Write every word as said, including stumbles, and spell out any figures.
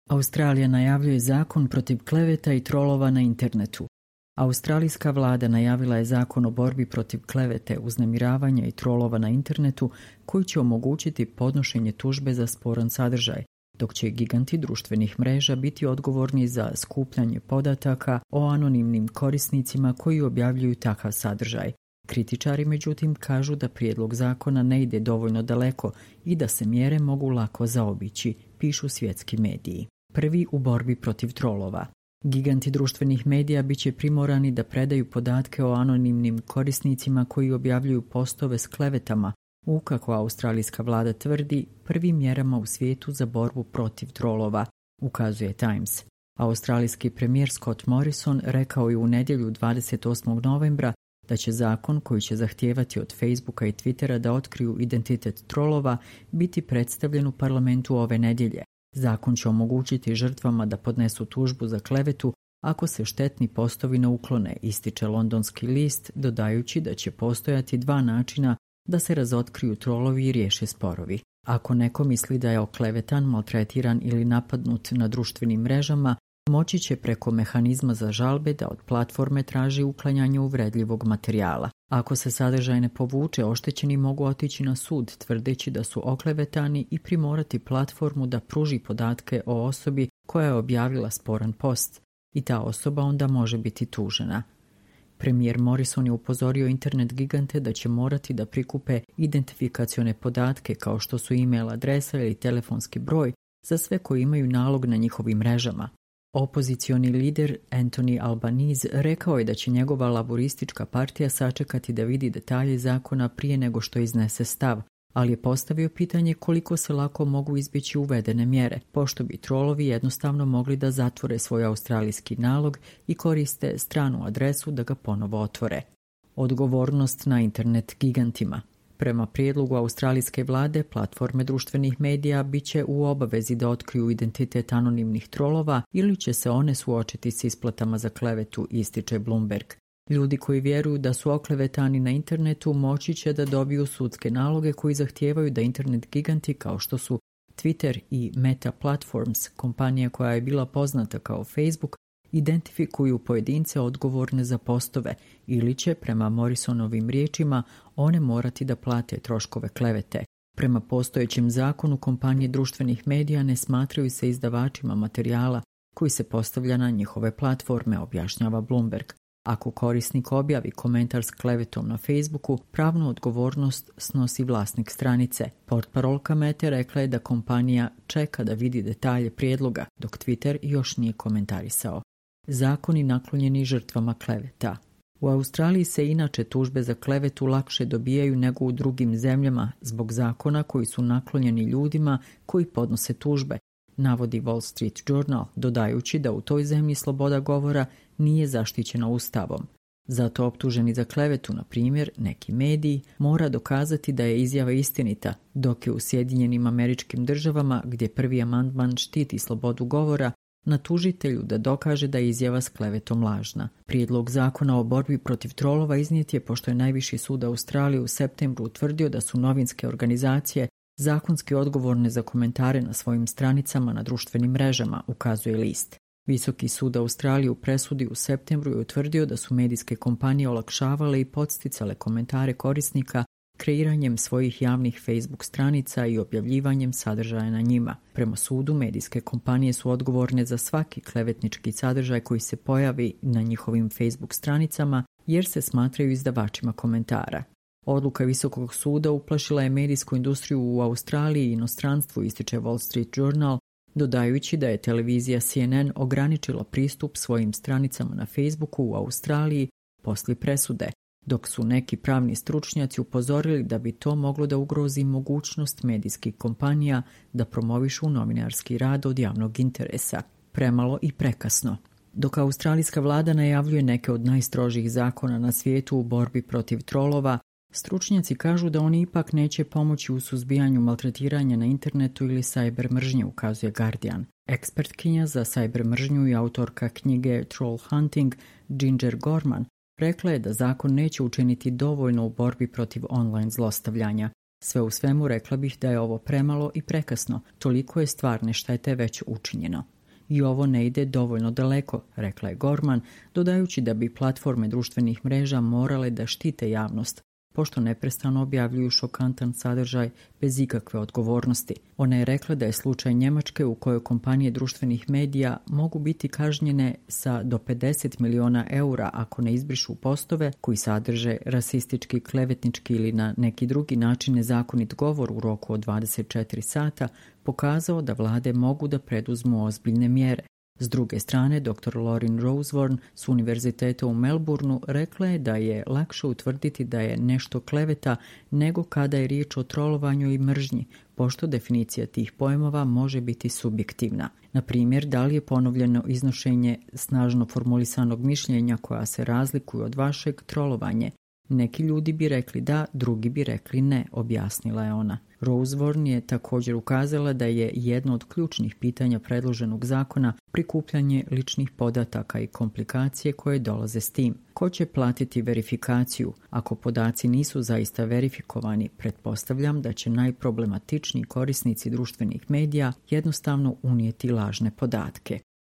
Australija najavljuje zakon protiv kleveta i trolova na internetu. Australijska vlada najavila je zakon o borbi protiv klevete, uznemiravanja i trolova na internetu koji će omogućiti podnošenje tužbe za sporan sadržaj, dok će giganti društvenih mreža biti odgovorni za skupljanje podataka o anonimnim korisnicima koji objavljuju takav sadržaj. Kritičari međutim kažu da prijedlog zakona ne ide dovoljno daleko i da se mjere mogu lako zaobići, pišu svjetski mediji. Prvi u borbi protiv trolova. Giganti društvenih medija bit će primorani da predaju podatke o anonimnim korisnicima koji objavljuju postove s klevetama u, kako australijska vlada tvrdi, prvim mjerama u svijetu za borbu protiv trolova, ukazuje Times. Australijski premijer Scott Morrison rekao je u nedjelju dvadeset osmog novembra da će zakon koji će zahtijevati od Facebooka i Twittera da otkriju identitet trolova biti predstavljen u parlamentu ove nedjelje. Zakon će omogućiti žrtvama da podnesu tužbu za klevetu ako se štetni postovi ne uklone, ističe londonski list, dodajući da će postojati dva načina da se razotkriju trolovi i riješe sporovi. Ako neko misli da je oklevetan, maltretiran ili napadnut na društvenim mrežama, moći će preko mehanizma za žalbe da od platforme traži uklanjanje uvredljivog materijala. Ako se sadržaj ne povuče, oštećeni mogu otići na sud tvrdeći da su oklevetani i primorati platformu da pruži podatke o osobi koja je objavila sporan post i ta osoba onda može biti tužena. Premijer Morrison je upozorio internet gigante da će morati da prikupe identifikacione podatke kao što su e-mail adresa ili telefonski broj za sve koji imaju nalog na njihovim mrežama. Opozicioni lider Anthony Albanese rekao je da će njegova laboristička partija sačekati da vidi detalje zakona prije nego što iznese stav, ali je postavio pitanje koliko se lako mogu izbjeći uvedene mjere, pošto bi trolovi jednostavno mogli da zatvore svoj australijski nalog i koriste stranu adresu da ga ponovo otvore. Odgovornost na internet gigantima. Prema prijedlogu australijske vlade, platforme društvenih medija bit će u obavezi da otkriju identitet anonimnih trolova ili će se one suočiti s isplatama za klevetu, ističe Bloomberg. Ljudi koji vjeruju da su oklevetani na internetu moći će da dobiju sudske naloge koji zahtijevaju da internet giganti kao što su Twitter i Meta Platforms, kompanija koja je bila poznata kao Facebook, identifikuju pojedince odgovorne za postove ili će, prema Morrisonovim riječima, one morati da plate troškove klevete. Prema postojećem zakonu, kompanije društvenih medija ne smatraju se izdavačima materijala koji se postavlja na njihove platforme, objašnjava Bloomberg. Ako korisnik objavi komentar s klevetom na Facebooku, pravnu odgovornost snosi vlasnik stranice. Portparolka Mete rekla je da kompanija čeka da vidi detalje prijedloga, dok Twitter još nije komentarisao. Zakoni naklonjeni žrtvama kleveta. U Australiji se inače tužbe za klevetu lakše dobijaju nego u drugim zemljama zbog zakona koji su naklonjeni ljudima koji podnose tužbe, navodi Wall Street Journal, dodajući da u toj zemlji sloboda govora nije zaštićena ustavom. Zato optuženi za klevetu, na primjer, neki mediji, mora dokazati da je izjava istinita, dok je u Sjedinjenim Američkim Državama, gdje prvi amandman štiti slobodu govora, na tužitelju da dokaže da je izjava s klevetom lažna. Prijedlog zakona o borbi protiv trolova iznijet je pošto je najviši sud Australije u septembru utvrdio da su novinske organizacije zakonski odgovorne za komentare na svojim stranicama na društvenim mrežama, ukazuje list. Visoki sud Australije u presudi u septembru je utvrdio da su medijske kompanije olakšavale i podsticale komentare korisnika kreiranjem svojih javnih Facebook stranica i objavljivanjem sadržaja na njima. Prema sudu, medijske kompanije su odgovorne za svaki klevetnički sadržaj koji se pojavi na njihovim Facebook stranicama jer se smatraju izdavačima komentara. Odluka Visokog suda uplašila je medijsku industriju u Australiji i inostranstvu, ističe Wall Street Journal, dodajući da je televizija C N N ograničila pristup svojim stranicama na Facebooku u Australiji poslije presude, dok su neki pravni stručnjaci upozorili da bi to moglo da ugrozi mogućnost medijskih kompanija da promovišu novinarski rad od javnog interesa. Premalo i prekasno. Dok australijska vlada najavljuje neke od najstrožih zakona na svijetu u borbi protiv trolova, stručnjaci kažu da oni ipak neće pomoći u suzbijanju maltretiranja na internetu ili cyber mržnje, ukazuje Guardian. Ekspertkinja za cyber mržnju i autorka knjige Troll Hunting, Ginger Gorman, rekla je da zakon neće učiniti dovoljno u borbi protiv online zlostavljanja. Sve u svemu rekla bih da je ovo premalo i prekasno, toliko je stvarne štete već učinjeno. I ovo ne ide dovoljno daleko, rekla je Gorman, dodajući da bi platforme društvenih mreža morale da štite javnost, pošto neprestano objavljuju šokantan sadržaj bez ikakve odgovornosti. Ona je rekla da je slučaj Njemačke u kojoj kompanije društvenih medija mogu biti kažnjene sa do pedeset miliona eura ako ne izbrišu postove koji sadrže rasistički, klevetnički ili na neki drugi način nezakonit govor u roku od dvadeset četiri sata, pokazao da vlade mogu da preduzmu ozbiljne mjere. S druge strane, doktor Lauren Rosewarne s Univerziteta u Melbourneu rekla je da je lakše utvrditi da je nešto kleveta nego kada je riječ o trolovanju i mržnji, pošto definicija tih pojmova može biti subjektivna. Na primjer, da li je ponovljeno iznošenje snažno formulisanog mišljenja koja se razlikuju od vašeg trolovanje. Neki ljudi bi rekli da, drugi bi rekli ne, objasnila je ona. Rosewarne je također ukazala da je jedno od ključnih pitanja predloženog zakona prikupljanje ličnih podataka i komplikacije koje dolaze s tim. Ko će platiti verifikaciju? Ako podaci nisu zaista verifikovani, pretpostavljam da će najproblematičniji korisnici društvenih medija jednostavno unijeti lažne podatke.